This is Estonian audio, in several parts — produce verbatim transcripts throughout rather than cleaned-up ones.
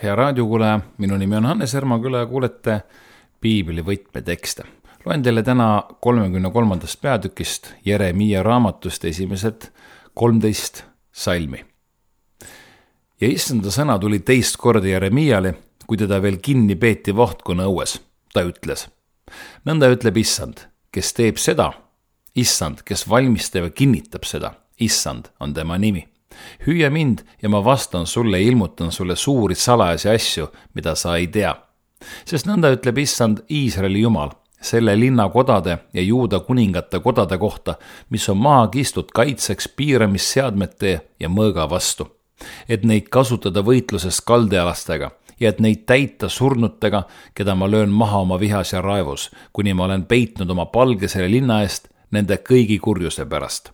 Hea raadiokuulaja, minu nimi on Hannes Ermaküla ja kuulete Piibli võtmetekste. Loen teile täna kolmekümne kolmandast peatükist Jeremiia raamatust esimesed kolmteist salmi. Ja issanda sõna tuli teist korda Jeremiale, kui teda veel kinni peeti vahtkonna õues. Ta ütles, nõnda ütleb issand, kes teeb seda, issand, kes valmistab ja kinnitab seda, issand on tema nimi. Hüüa mind ja ma vastan sulle ja ilmutan sulle suuri salajasi asju, mida sa ei tea. Sest nõnda ütleb issand Iisraeli Jumal, selle linna kodade ja Juuda kuningate kodade kohta, mis on maha kistud kaitseks piiramisseadmete ja mõõga vastu, et neid kasutada võitluses kaldealastega ja et neid täita surnutega, keda ma löön maha oma vihas ja raevus, kuni ma olen peitnud oma palge selle linna eest nende kõigi kurjuse pärast.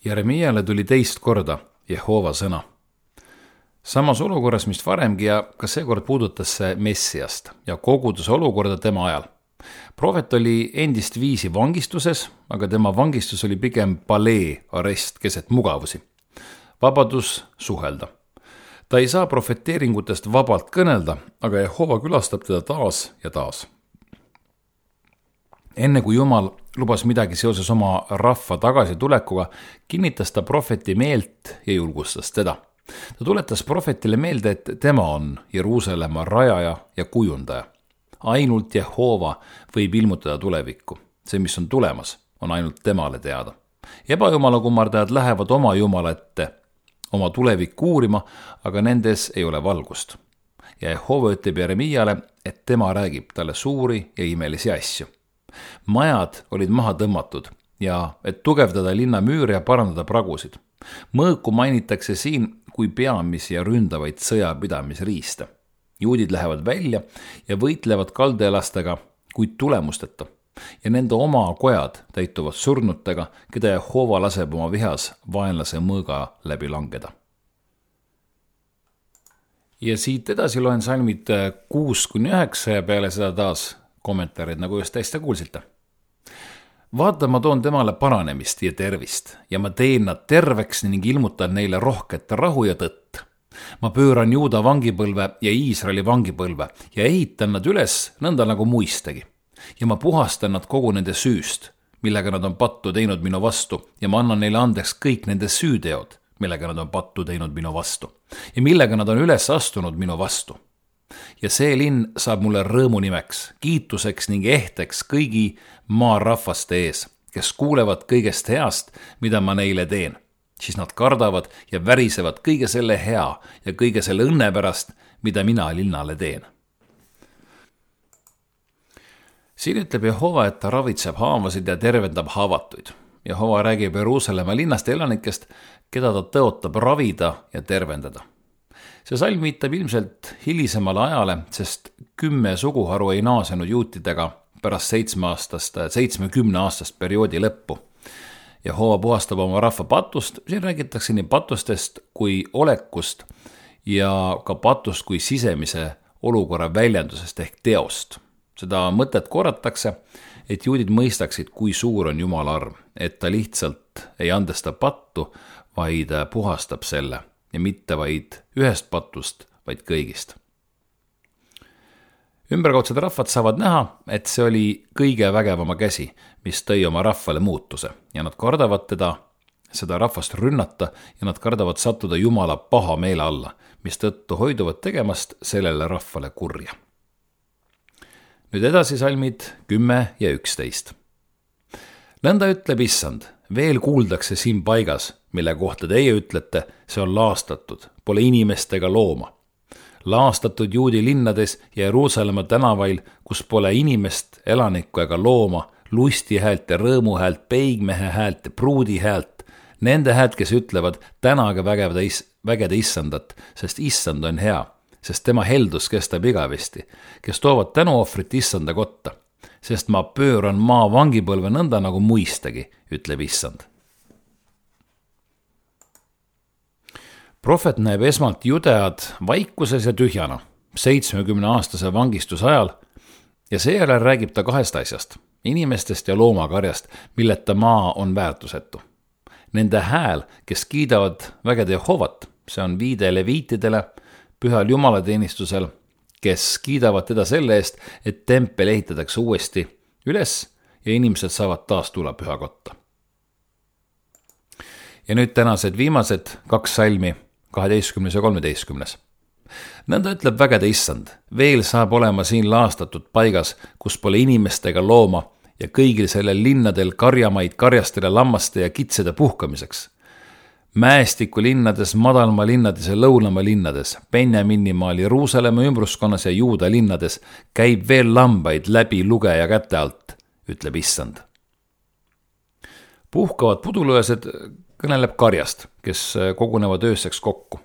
Jeremiale tuli teist korda Jehova sõna. Samas olukorras, mis varemgi ja ka seekord puudutas see Messiast ja koguduse olukorda tema ajal. Prohvet oli endist viisi vangistuses, aga tema vangistus oli pigem palee arest keset mugavusi. Vabadus suhelda. Ta ei saa profeteeringutest vabalt kõnelda, aga Jehova külastab teda taas ja taas. Enne kui Jumal lubas midagi seoses oma rahva tagasitulekuga, kinnitas ta prohveti meelt ja julgustas teda. Ta tuletas prohvetile meelde, et tema on Jeruusalemma rajaja ja kujundaja. Ainult Jehova võib ilmutada tulevikku. See, mis on tulemas, on ainult temale teada. Ebajumala kummardajad lähevad oma Jumala ette oma tulevikku uurima, aga nendes ei ole valgust. Ja Jehova ütleb Jeremiale, et tema räägib talle suuri ja imelisi asju. Majad olid maha tõmmatud ja et tugevdada linna müüre ja parandada pragusid. Mõõku mainitakse siin kui peamisi ja ründavaid sõjapidamisriiste. Juudid lähevad välja ja võitlevad kaldealastega, kuid tulemusteta. Ja nende oma kojad täituvad surnutega, keda Jehova laseb oma vihas vaenlase mõõga läbi langeda. Ja siit edasi loen salmid kuus kuni üheksa ja peale seda taas kommentaarid, nagu just täiesti kuulsite. Vaata, ma toon temale paranemist ja tervist ja ma teen nad terveks ning ilmutan neile rohket rahu ja tõtt. Ma pööran Juuda vangipõlve ja Iisraeli vangipõlve ja ehitan nad üles nõnda nagu muistagi. Ja ma puhastan nad kogu nende süüst, millega nad on pattu teinud minu vastu ja ma annan neile andeks kõik nende süüteod, millega nad on pattu teinud minu vastu ja millega nad on üles astunud minu vastu. Ja see linn saab mulle rõõmu nimeks, kiituseks ning ehteks kõigi maa rahvaste ees, kes kuulevad kõigest heast, mida ma neile teen. Siis nad kardavad ja värisevad kõige selle hea ja kõige selle õnne pärast, mida mina linnale teen. Siin ütleb Jehova, et ta ravitseb haavasid ja tervendab haavatuid. Jehova räägib Jeruusalemma linnast elanikest, keda ta tõotab ravida ja tervendada. See salm viitab ilmselt hilisemale ajale, sest kümme suguharu ei naasenud juutidega pärast seitsmeaastast, seitsmekümne aastast perioodi lõppu. Jehova puhastab oma rahva patust, siin räägitakse nii patustest kui olekust ja ka patust kui sisemise olukorra väljendusest ehk teost. Seda mõtet korratakse, et juudid mõistaksid, kui suur on Jumala arm, et ta lihtsalt ei andesta pattu, vaid puhastab selle. Ja mitte vaid ühest patust, vaid kõigist. Ümberkaudsed rahvad saavad näha, et see oli kõige vägevama käsi, mis tõi oma rahvale muutuse ja nad kardavad teda, seda rahvast rünnata ja nad kardavad sattuda Jumala paha meele alla, mis tõttu hoiduvad tegemast sellele rahvale kurja. Nüüd edasi salmid kümme ja üksteist. Nõnda ütleb issand, veel kuuldakse siin paigas, mille kohta teie ütlete, see on laastatud, pole inimestega looma. Laastatud juudi linnades ja Jeruusalemma tänavail, kus pole inimest, elanikku ega looma, lusti häält ja rõõmu häält, peigmehe häält ja pruudi häält, nende häält, kes ütlevad, tänage vägede issandat, sest issand on hea, sest tema heldus kestab igavesti, kes toovad tänuohvrit issanda kotta, sest ma pööran maa vangipõlve nõnda nagu muistagi, ütleb issand. Prohvet näeb esmalt judead vaikuses ja tühjana, seitsmekümne aastase vangistuse ajal, ja seejärel räägib ta kahest asjast, inimestest ja loomakarjast, milleta maa on väärtusetu. Nende hääl, kes kiidavad vägede Jehovat, see on viide leviitidele, pühal jumalateenistusel, kes kiidavad teda selle eest, et tempel ehitatakse uuesti üles ja inimesed saavad taas tulla pühakotta. Ja nüüd tänased viimased kaks salmi, kaheteistkümnes ja kolmeteistkümnes. Nõnda ütleb vägede issand, veel saab olema siin laastatud paigas, kus pole inimestega looma ja kõigil sellel linnadel karjamaid karjastele lammaste ja kitsede puhkamiseks. Mäestiku linnades, madalma linnades ja lõunama linnades, Benjaminimaal, Jeruusalemma ümbruskonnas ja Juuda linnades käib veel lambaid läbi lugeja käte alt, ütleb issand. Puhkavad pudulõesed kõneleb karjast, kes kogunevad ööseks kokku.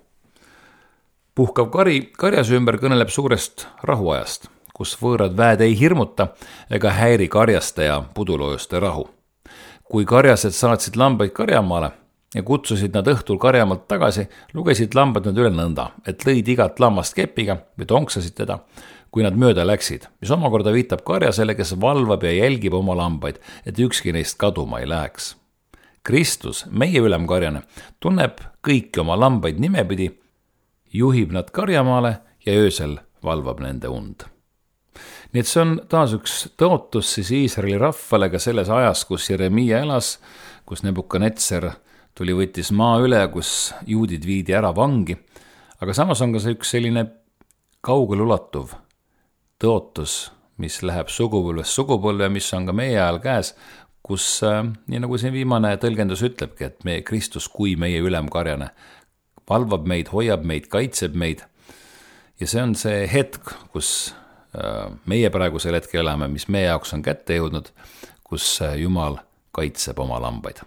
Puhkav kari karjase ümber kõneleb suurest rahuajast, kus võõrad väed ei hirmuta ega häiri karjaste ja puduloojuste rahu. Kui karjased saatsid lambaid karjamaale ja kutsusid nad õhtul karjamaalt tagasi, lugesid lambad nad üle nõnda, et lõid igat lammast kepiga või tonksasid teda, kui nad mööda läksid, mis omakorda viitab karjasele, kes valvab ja jälgib oma lambaid, et ükski neist kaduma ei läheks. Kristus, meie ülemkarjane, tunneb kõiki oma lambaid nimepidi, juhib nad karjamaale ja öösel valvab nende und. Nii et see on taas üks tõotus siis Iisraeli rahvale ka selles ajas, kus Jeremiia elas, kus Nebukadnetser tuli võttis maa üle, kus juudid viidi ära vangi, aga samas on ka see üks selline kaugel ulatuv tõotus, mis läheb sugupõlvest sugupõlve, mis on ka meie ajal käes, kus, nii nagu siin viimane tõlgendus ütlebki, et meie Kristus kui meie ülemkarjane valvab meid, hoiab meid, kaitseb meid. Ja see on see hetk, kus meie praegusel hetkel elame, mis meie jaoks on kätte jõudnud, kus Jumal kaitseb oma lambaid.